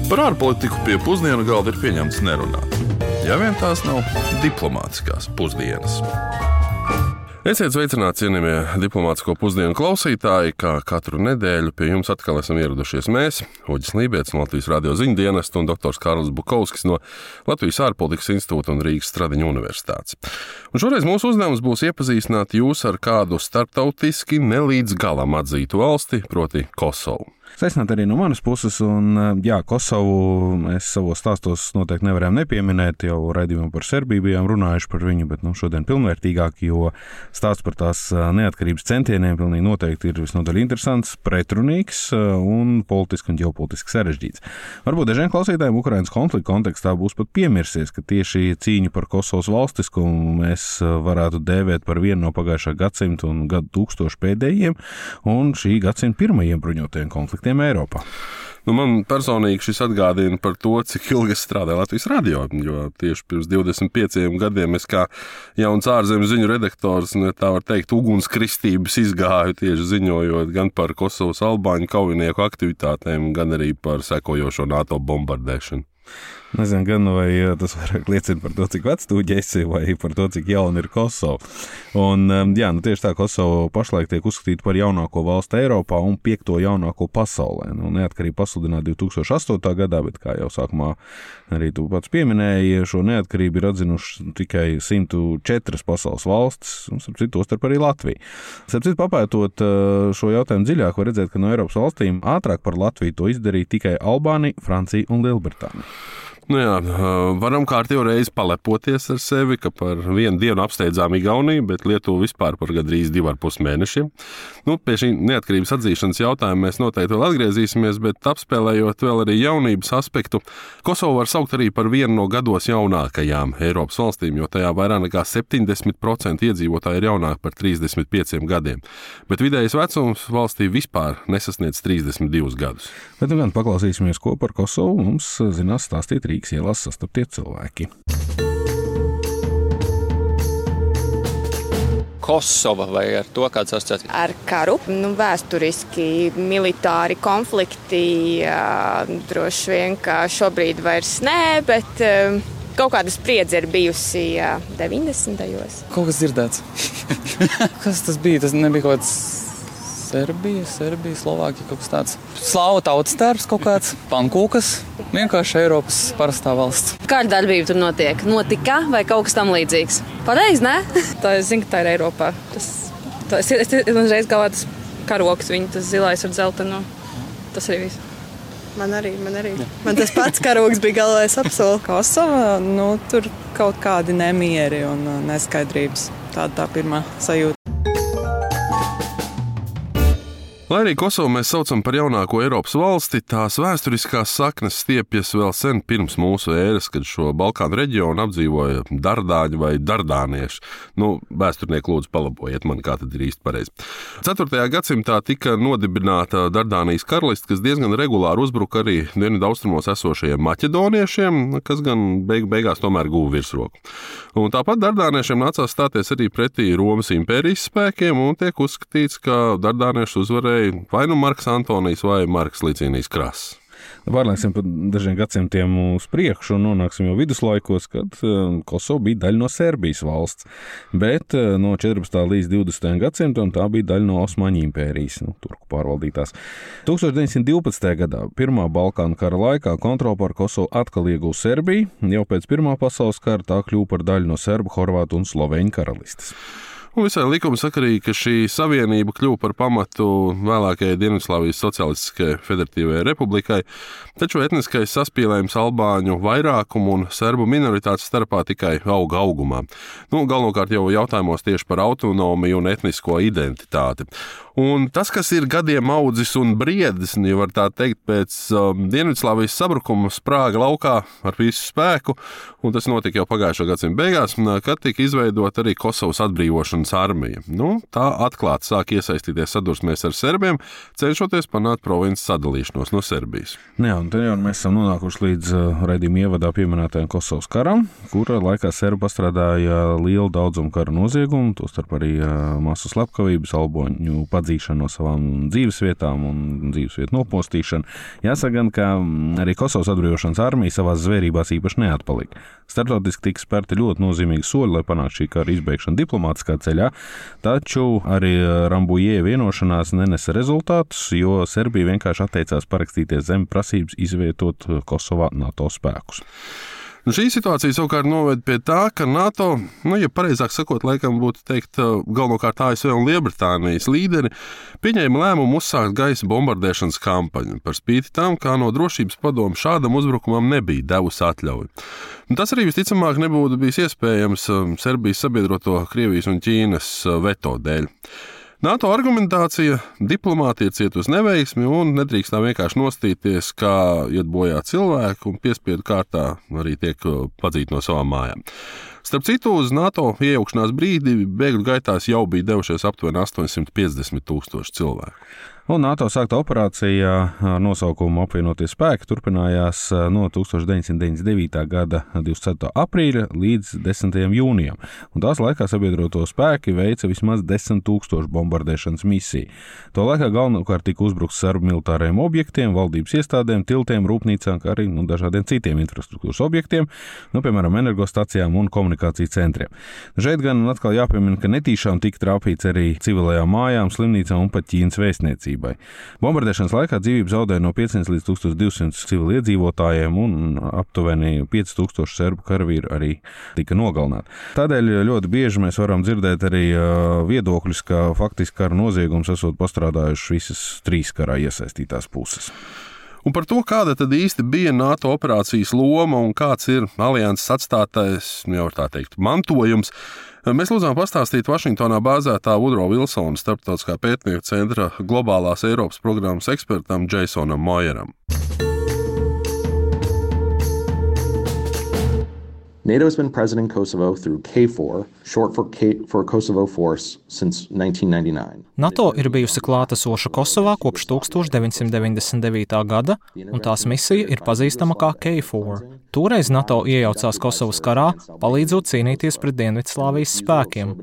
Par ārpolitiku pie pusdienu galda ir pieņemts nerunāt. Ja vien tās nav diplomātiskās pusdienas. Esiet sveicināti, cienījamie diplomātisko pusdienu klausītāji, kā katru nedēļu pie jums atkal esam ieradušies mēs, Uģis Lībietis no Latvijas radio ziņu dienesta un doktors Kārlis Bukovskis no Latvijas ārpolitikas institūta un Rīgas Stradiņu universitātes. Un šoreiz mūsu uzdevums būs iepazīstināt jūs ar kādu starptautiski nelīdz galam atzītu valsti, proti Kosovu. Sveicināt arī no manas puses, un Kosovu mēs savos stāstos noteikti nevarējām nepieminēt, jau raidījumā par Serbiju bijām runājuši par viņu, bet šodien pilnvērtīgāk, jo stāsts par tās neatkarības centieniem pilnīgi noteikti ir visnotaļ interesants, pretrunīgs un politiski un ģeopolitiski sarežģīts. Varbūt dažiem klausītājiem Ukrainas konflikta kontekstā būs pat piemirsies, ka tieši cīņu par Kosovas valstiskumu mēs varētu dēvēt par vienu no pagājušā gadsimta un gadu tūkstošu pēdējiem un šī gadsimta pirmajiem bruņotajiem konfliktiem Eiropā. Man personīgi šis atgādina par to, cik ilgi es strādāju Latvijas radio, jo tieši pirms 25 gadiem es kā jauns ārzemes ziņu redaktors, tā var teikt, ugunskristības izgāju tieši ziņojot gan par Kosovas albāņu kaujinieku aktivitātēm, gan arī par sekojošo NATO bombardēšanu. Nezinu, gan vai tas vairāk liecina par to, cik vecs tu esi, vai par to, cik jauna ir Kosova. Un, tieši tā Kosova pašlaik tiek uzskatīta par jaunāko valsti Eiropā un 5. jaunāko pasaulē. Neatkarība pasludināta 2008. gadā, bet, kā jau sākumā arī tu pats pieminēji, šo neatkarību ir atzinuši tikai 104 pasaules valstis, un starp arī Latvija. Starp citu, papētot šo jautājumu dziļāk, var redzēt, ka no Eiropas valstīm ātrāk par Latviju to izdarīja tikai Albānija, Francija un Lielbritānija. Varam kārtīgi reizi palepoties ar sevi, ka par vienu dienu apsteidzām Igauniju, bet Lietuvu vispār par gandrīz 2,5 mēnešiem. Pie šī neatkarības atzīšanas jautājuma mēs noteikti vēl atgriezīsimies, bet apspēlējot vēl arī jaunības aspektu, Kosovu var saukt arī par vienu no gados jaunākajām Eiropas valstīm, jo tajā vairāk nekā 70% iedzīvotāji ir jaunāki par 35 gadiem. Bet vidējais vecums valstī vispār nesasniedz 32 gadus. Bet gan paklausīsimies, ko par Kosovu mums zinās stāstīt Rīgas ielās sastaptie cilvēki. Kosova vai ar to kāds asociācijas? Ar karu, vēsturiski militāri konflikti, droši vien, ka šobrīd vairs nē, bet kaut kāda spriedze ir bijusi 90. Kaut kas dzirdēts. Kas tas bija? Tas nebija kaut kāds Serbija, Slovākija, kaut kas tāds. Slāvu tautas tērps kaut kāds, pankūkas, vienkārši Eiropas parastā valsts. Kāda darbība tur notika vai kaut kas tam līdzīgs? Pareizi, ne? Tā es zinu, ka tā ir Eiropā. Es uzreiz galvā tas karoks, tas zilais ar dzeltenu. Tas arī viss. Man arī. Jā. Man tas pats karoks bija galvā, es apsolu. Kosova, tur kaut kādi nemieri un neskaidrības. Tāda tā pirmā sajūta. Lai arī Kosovu mēs saucam par jaunāko Eiropas valsti, tās vēsturiskās saknes stiepjas vēl sen pirms mūsu ēras, kad šo Balkānu reģionu apdzīvoja dardāņi vai dardānieši. Vēsturnieki lūdzu palabojiet man, kā tad ir īsti pareizi. 4. gadsimtā tika nodibināta Dardānijas karaliste, kas diezgan regulāri uzbruka arī dienvidaustrumos esošajiem maķedoniešiem, kas gan beigās tomēr guva virsroku. Un tāpat dardāniešiem nācās stāties arī pretī Romas impērijas spēkiem, un tiek uzskatīts, ka dardānieši uzvarēja vai Marks Antonijs vai Marks Licīnijs Krass. Pārlieksim par dažiem gadsimtiem uz priekšu un nonāksim jau viduslaikos, kad Kosova bija daļa no Serbijas valsts, bet no 14. līdz 20. gadsimtam tā bija daļa no Osmaņu impērijas, turku pārvaldītās. 1912. gadā, Pirmā Balkānu kara laikā, kontroli par Kosovu atkal ieguva Serbija, jau pēc Pirmā pasaules kara tā kļuva par daļu no Serbu, Horvātu un Sloveņu karalistes. Un visai likumsakarīgi, ka šī savienība kļuva par pamatu vēlākajai Dienvidslāvijas Socialistiskajai Federatīvajai Republikai, taču etniskais saspīlējums albāņu vairākumu un serbu minoritātes starpā tikai auga augumā. Galvenokārt jau jautājumos tieši par autonomiju un etnisko identitāti. Un tas, kas ir gadiem audzis un briedis, ja var tā teikt, pēc Dienvidslāvijas sabrukuma sprāga laukā ar visu spēku, un tas notika jau pagājušā gadsimta beigās, kad tika izveidota arī Kosovas atbrīvošanas armija. Tā atklāti sāk iesaistīties sadursmēs ar serbiem, cenšoties panākt provinces sadalīšanos no Serbijas. Un te jau mēs esam nonākuši līdz raidījuma ievadā pieminētajam Kosovas karam, kura laikā serbi pastrādāja lielu daudzumu kara noziegumu, tostarp arī masu slepkavības, albāņu padzīšanu no savām dzīvesvietām un dzīvesvietu nopostīšanu. Jāsaka gan, ka arī Kosovas atbrīvošanas armija savās zvērībās īpaši neatpalika. Startautiski tika spērti ļoti nozīmīgi soļi, lai panāktu šī kara izbeigšanu diplomātiskā ceļā, taču arī Rambuje vienošanās nenesa rezultātus, jo Serbija vienkārši atteicās parakstīties zem prasības izvietot Kosovā NATO spēkus. Šī situācija savukārt noved pie tā, ka NATO, ja pareizāk sakot, laikam būtu teikt galvenokārt ASV un Lielbritānijas līderi, pieņēma lēmumu uzsākt gaisa bombardēšanas kampaņu, par spīti tam, kā no drošības padomu šādam uzbrukumam nebija devusi atļauju. Tas arī visticamāk nebūtu bijis iespējams Serbijas sabiedroto Krievijas un Ķīnas veto dēļ. NATO argumentācija diplomātija ciet uz neveiksmi un nedrīkst tā vienkārši nostīties, kā iet bojā cilvēku un piespiedu kārtā arī tiek padzīti no savām mājām. Starp citu, uz NATO iejaukšanās brīdi bēgļu gaitās jau bija devušies aptuveni 850,000 cilvēku. Un NATO sākta operācija ar nosaukumu Apvienotie spēki turpinājās no 1999. gada 24. aprīļa līdz 10. jūnijam. Un tās laikā sabiedroto spēki veica vismaz 10,000 bombardēšanas misiju. To laikā galvenokārt tika uzbrukts serbu militāriem objektiem, valdības iestādēm, tiltiem, rūpnīcām, kā arī dažādiem citiem infrastruktūras objektiem, piemēram, energostacijām un komunikāciju centriem. Šeit gan atkal jāpiemina, ka netīšām tika trāpīts arī civilajām mājām, slimnīcām un pat Ķīnas vēstniecībai. Bombardēšanas laikā dzīvību zaudēja no 500 līdz 1200 civiliedzīvotājiem un aptuveni 5000 serbu karavīru arī tika nogalināti. Tādēļ ļoti bieži mēs varam dzirdēt arī viedokļus, ka faktiski kara noziegums esot pastrādājuši visas trīs karā iesaistītās puses. Un par to, kāda tad īsti bija NATO operācijas loma un kāds ir alianses atstātais, jau var tā teikt, mantojums, mēs lūdzām pastāstīt Vašingtonā bāzētā Woodrow Wilsona starptautiskā pētnieku centra globālās Eiropas programmas ekspertam Jasonam Moyeram. NATO has been present in Kosovo through KFOR, short for Kosovo Force, since 1999. NATO ir bijusi klātesoša Kosovā kopš 1999. gada, un tās misija ir pazīstama kā KFOR. Toreiz NATO iejaucās Kosovas karā, palīdzot cīnīties pret Dienvidslāvijas spēkiem.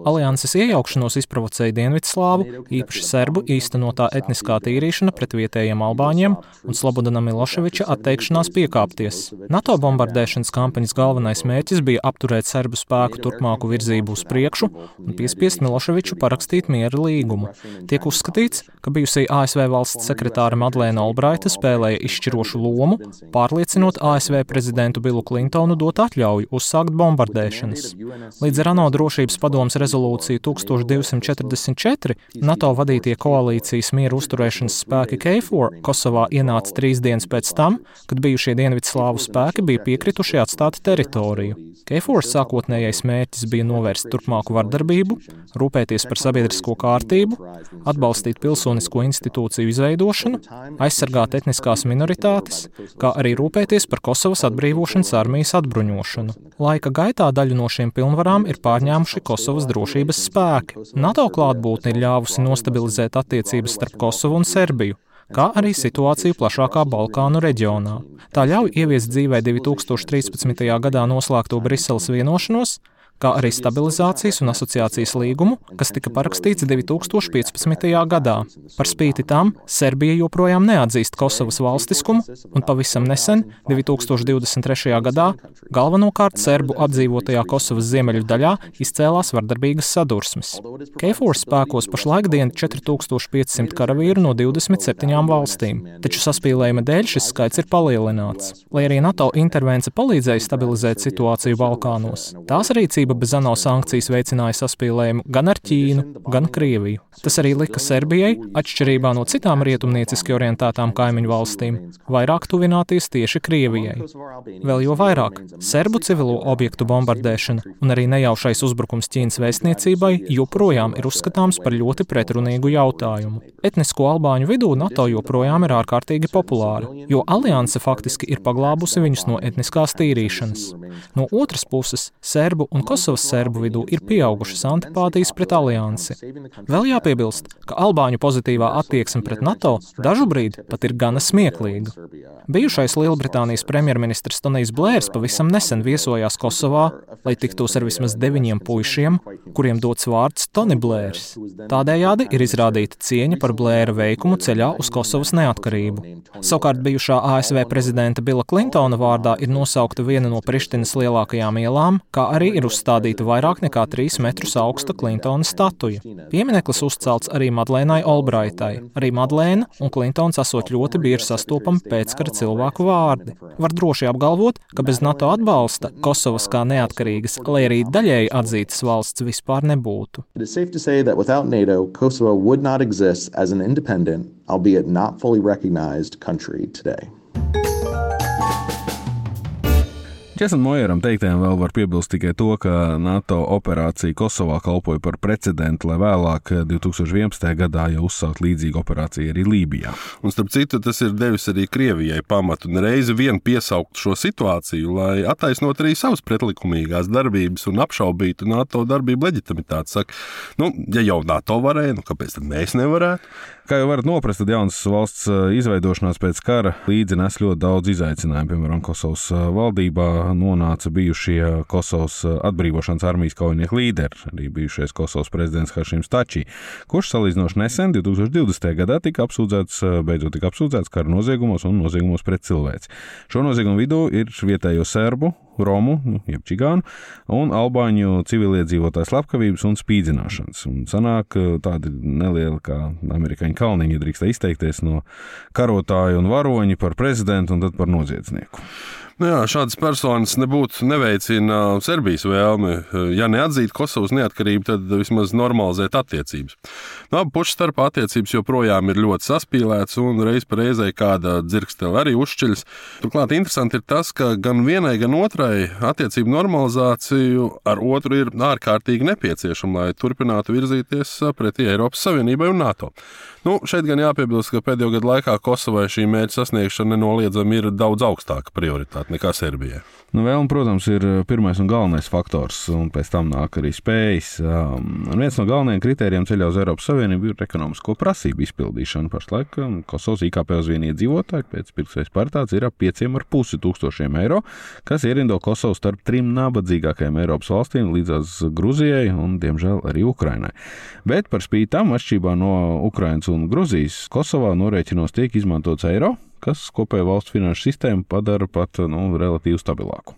Alianses iejaukšanos izprovocēja Dienvidslāvu, īpaši serbu īstenotā etniskā tīrīšana pret vietējiem albāņiem un Slobodana Miloševiča atteikšanās piekāpties. NATO bombardēšanas kampaņas galvenais mērķis bija apturēt serbu spēku turpmāku virzību uz priekšu un piespiest Miloševiču parakstīt miera līgumu. Tiek uzskatīts, ka bijusī ASV valsts sekretāra Madlēna Olbraita spēlēja izšķirošu lomu, pārliecinot ASV prezidentu Billu Clintonu dot atļauju uzsākt bombardēšanas. Līdz ar ANO drošības padomes rezolūciju 1244 NATO vadītie koalīcijas miera uzturēšanas spēki KFOR Kosovā ienāca 3 dienas pēc tam, kad bijušie Dienvidslāvu spēki bija piekrituši atstāt teritoriju. KFOR sākotnējais mērķis bija novērst turpmāku vardarbību, rūpēties par sabiedrisko kārtību, atbalstīt pilsonisko institūciju izveidošanu, aizsargāt etniskās minoritātes, kā arī rūpēties par Kosovas atbrīvošanas armijas atbruņošanu. Laika gaitā daļu no šīm pilnvarām ir pārņēmuši Kosovas drošības spēki. NATO klātbūtne ir ļāvusi nostabilizēt attiecības starp Kosovu un Serbiju, kā arī situāciju plašākā Balkānu reģionā. Tā ļauj ieviest dzīvē 2013. gadā noslēgto Briseles vienošanos, kā arī stabilizācijas un asociācijas līgumu, kas tika parakstīts 2015. gadā. Par spīti tam Serbija joprojām neatzīst Kosovas valstiskumu, un pavisam nesen, 2023. gadā, galvenokārt serbu apdzīvotajā Kosovas ziemeļu daļā izcēlās vardarbīgas sadursmes. KFOR spēkos pašlaik dien 4500 karavīru no 27 valstīm, taču saspīlējuma dēļ šis skaits ir palielināts. Lai arī NATO intervence palīdzēja stabilizēt situāciju Balkānos, tās rīcība bez ANO sankcijas veicināja saspīlējumu gan ar Ķīnu, gan Krieviju. Tas arī lika Serbijai, atšķirībā no citām rietumnieciski orientētām kaimiņu valstīm, vairāk tuvināties tieši Krievijai. Vēl jo vairāk, serbu civilo objektu bombardēšana un arī nejaušais uzbrukums Ķīnas vēstniecībai joprojām ir uzskatāms par ļoti pretrunīgu jautājumu. Etnisko albāņu vidū NATO joprojām ir ārkārtīgi populāra, jo alianse faktiski ir paglābusi viņus no etniskās tīrīšanas. No otras puses, serbu un Kosovas serbu vidū ir pieaugušas antipātijas pret aliansi. Vēl jāpiebilst, ka albāņu pozitīvā attieksme pret NATO dažu brīdi pat ir gana smieklīga. Bijušais Lielbritānijas premjerministrs Tonijs Blērs pavisam nesen viesojās Kosovā, lai tiktos ar vismaz 9 puišiem, kuriem dots vārds Tony Blērs. Tādējādi ir izrādīta cieņa par Blēra veikumu ceļā uz Kosovas neatkarību. Savukārt bijušā ASV prezidenta Billa Klintona vārdā ir nosaukta viena no Prištinas lielākajām ielām, kā arī ir uzstādīta vairāk nekā 3 metrus augsta Klintona statuja. Piemineklis uzcelts arī Madlēnai Olbraitai. Arī Madlēna un Klintons esot ļoti bieži sastopami pēckara cilvēku vārdi. Var droši apgalvot, ka bez NATO atbalsta Kosovas kā neatkarīgas, lai arī daļēji atzītas valsts vispār nebūtu. It is safe to say that without NATO, Kosovo would not exist as an independent, albeit not fully recognized country today. Česam Mojeram teiktiem vēl var piebilst tikai to, ka NATO operācija Kosovā kalpoja par precedentu, lai vēlāk 2011. gadā jau uzsākt līdzīgu operāciju arī Lībijā. Un starp citu, tas ir devis arī Krievijai pamatu un reizi vien piesaukt šo situāciju, lai attaisnot arī savas pretlikumīgās darbības un apšaubītu NATO darbību leģitimitāti. Saka, ja jau NATO varēja, kāpēc tad mēs nevarētu? Kā jau varat noprast, tad jaunas valsts izveidošanās pēc kara līdzi nes ļoti daudz izaicinājumu. Piemēram, Kosovas valdībā nonāca bijušie Kosovas atbrīvošanas armijas kaujinieku līderi, arī bijušais Kosovas prezidents Hašims Tači, kurš salīdzinoši nesen 2020. gadā beidzot tika apsūdzēts kara noziegumos un noziegumos pret cilvēci. Šo noziegumu vidū ir vietējo serbu, romu, jeb čigānu, un albāņu civiliedzīvotāju slepkavības un spīdzināšanas. Un sanāk tādi nelieli kā amerikāņu kalniņi, ja drīkst izteikties, no karotāju un varoņi par prezidentu un tad par noziedznieku. Jā, šādas personas nebūtu neveicina Serbijas vēlmi. Ja neatzīt Kosovas neatkarību, tad vismaz normalizēt attiecības. Abu pušu starpā attiecības joprojām ir ļoti saspīlētas un reiz pa reizei kāda dzirkstele arī uzšķiļas. Turklāt interesanti ir tas, ka gan vienai, gan otrai attiecību normalizāciju ar otru ir ārkārtīgi nepieciešama, lai turpinātu virzīties pretī Eiropas Savienībai un NATO. Šeit gan jāpiebilst, ka pēdējo gadu laikā Kosovai šī mērķa sasniegšana nenoliedzami ir daudz augstāka prioritāte nekā Serbijai. Vēl, protams, ir pirmais un galvenais faktors, un pēc tam nāk arī spējas. Un viens no galvenajiem kritērijiem ceļā uz Eiropas Savienību ir ekonomisko prasību izpildīšana. Pašlaik Kosovas IKP uz vienu iedzīvotāju pēc pirktspējas paritātes ir ap 5,5 tūkstošiem eiro, kas ierindo Kosovu starp 3 nabadzīgākajām Eiropas valstīm līdzās Gruzijai un, diemžēl, arī Ukrainai. Bet par spīti tam, atšķirībā no Ukrainas un Gruzijas, Kosovā norēķinos tiek izmantots eiro, kas kopējo valsts finanšu sistēmu padara pat relatīvi stabilāku.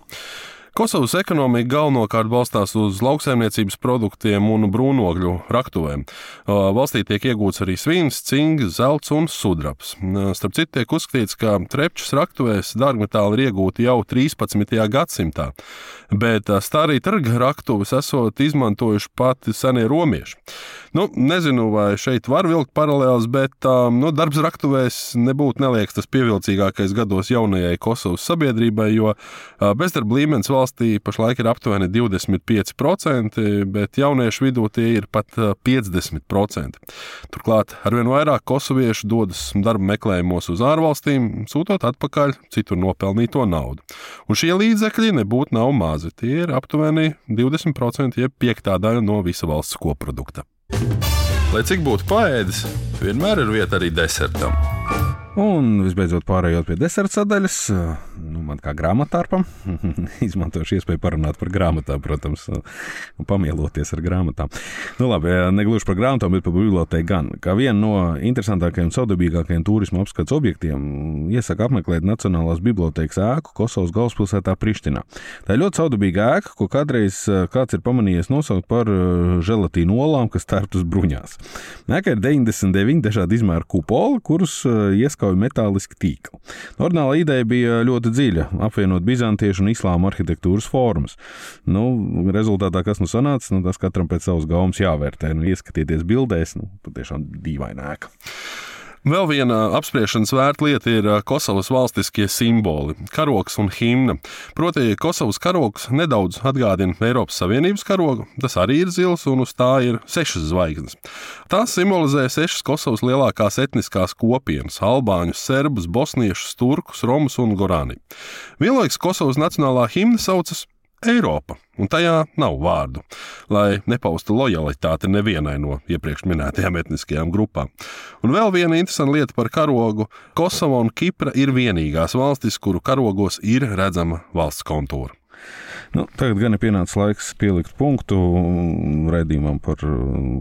Kosovas ekonomika galvenokārt balstās uz lauksaimniecības produktiem un brūnogļu raktuvēm. Valstī tiek iegūts arī svīns, cinks, zelts un sudrabs. Starp citu tiek uzskatīts, ka Trepčas raktuvēs dārgmetāli ir iegūti jau 13. gadsimtā, bet starīt raktuves esot izmantojuši pati senie romieši. Nezinu, vai šeit var vilkt paralēles, bet darbs raktuvēs nebūtu neliekas tas pievilcīgākais gados jaunajai Kosovas sabiedrībai, jo bezdarba līmenis valstī pašlaik ir aptuveni 25%, bet jauniešu vidū tie ir pat 50%. Turklāt arvien vairāk kosoviešu dodas darba meklējumos uz ārvalstīm, sūtot atpakaļ citur nopelnīto naudu. Un šie līdzekļi nebūtu nav mazi, tie ir aptuveni 20%, jeb 5. daļa no visa valsts koprodukta. Lai cik būtu paēdis, vienmēr ir vieta arī desertam. Un visbeidzot pārējot pie deserta sadaļas, man kā grāmatārpam, izmantošu iespēju parunāt par grāmatām, protams, un pamieloties ar grāmatām. Labi, negluži par grāmatām, bet par bibliotēku gan. Kā vienu no interesantākajiem un saudabīgākajiem turisma apskats objektiem, iesaka apmeklēt Nacionālās bibliotēkas ēku Kosovas galvaspilsētā Prištinā. Tā ir ļoti saudabīga ēka, ko kādreiz kāds ir pamanījies nosaukt par želatīnu olām, kas tērptas bruņās. Ēkā ir 99 dažādi izmēru kupoli, kurus ieskauj metāliski tīkli. Ordināla ideja bija ļoti dziļa, apvienot bizantiešu un islāma arhitektūras formas. Rezultātā, kas sanāca, tas katram pēc savas gaumas jāvērtē. Ieskatieties bildēs, patiešām dīvaina ēka. Vēl viena apspriešanas vērta lieta ir Kosovas valstiskie simboli – karogs un himna. Proti, Kosovas karogs nedaudz atgādina Eiropas Savienības karogu, tas arī ir zils un uz tā ir 6 zvaigznes. Tās simbolizē 6 Kosovas lielākās etniskās kopienas – albāņus, serbus, bosniešus, turkus, romus un gorāni. Vienlaikus Kosovas nacionālā himna saucas Eiropa, un tajā nav vārdu, lai nepaustu lojalitāti nevienai no iepriekš minētajām etniskajām grupām. Un vēl viena interesanta lieta par karogu. Kosova un Kipra ir vienīgās valstis, kuru karogos ir redzama valsts kontūra. Tagad gan ir pienācis laiks pielikt punktu raidījumam par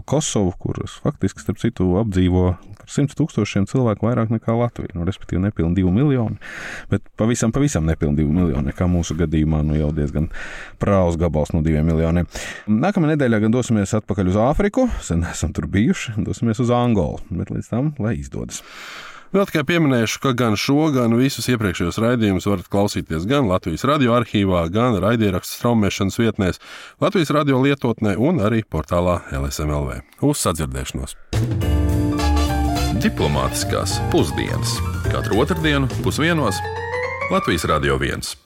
Kosovu, kuras faktiski, starp citu, apdzīvo par 100 000 cilvēku vairāk nekā Latvija. Respektīvi nepilni 2 miljoni, bet pavisam nepilni 2 miljoni, kā mūsu gadījumā jau diezgan prāvs gabals no 2 miljoniem. Nākamā nedēļā gan dosimies atpakaļ uz Āfriku, sen esam tur bijuši, dosimies uz Angolu, bet līdz tam, lai izdodas. Vēl tikai pieminēšu, ka gan šo, gan visus iepriekšējos raidījumus varat klausīties gan Latvijas radio arhīvā, gan raidierakstu straumēšanas vietnēs, Latvijas radio lietotnē un arī portālā LSM.LV. Uz sadzirdēšanos! Diplomātiskās pusdienas. Katru otrdienu 12:00 Latvijas Radio 1.